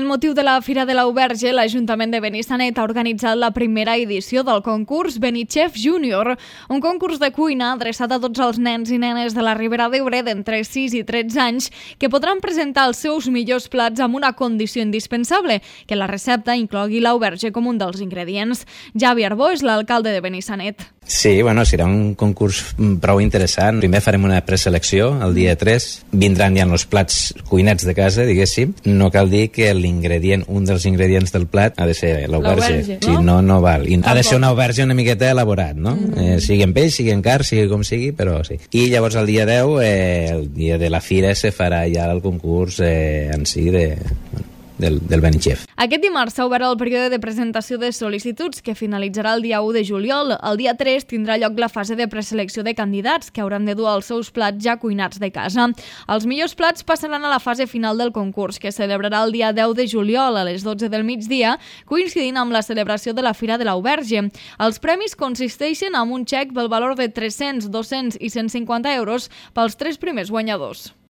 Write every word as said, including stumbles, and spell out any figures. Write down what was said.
En motiu de la Fira de l'Auberge, l'Ajuntament de Benissanet ha organitzat la primera edició del concurs Benichef Júnior, un concurs de cuina adreçat a tots els nens i nenes de la Ribera d'Ebre d'entre sis i tretze anys que podran presentar els seus millors plats amb una condició indispensable, que la recepta inclogui l'auberge com un dels ingredients. Javi Arbó és l'alcalde de Benissanet. Sí, bueno, serà un concurs prou interessant. Primer farem una preselecció el dia tres. Vindran ja els plats cuinats de casa, diguéssim. No cal dir que l'ingredient, un dels ingredients del plat ha de ser l'auberge. No? Si no, no val. I ha de ser una auberge una miqueta elaborat, no? Mm. Eh, sigui en peix, sigui en car, sigui com sigui, però sí. I llavors el dia deu, eh, el dia de la fira, se farà ja el concurs eh, en si de... Bueno, del, del Benichef. Aquest dimarts s'ha obert el període de presentació de sol·licituds que finalitzarà el dia u de juliol. El dia tres tindrà lloc la fase de preselecció de candidats que hauran de dur els seus plats ja cuinats de casa. Els millors plats passaran a la fase final del concurs, que celebrarà el dia deu de juliol a les dotze del migdia, coincidint amb la celebració de la Fira de l'Auberge. Els premis consisteixen en un xec pel valor de tres-cents, dos-cents i cent cinquanta euros pels tres primers guanyadors.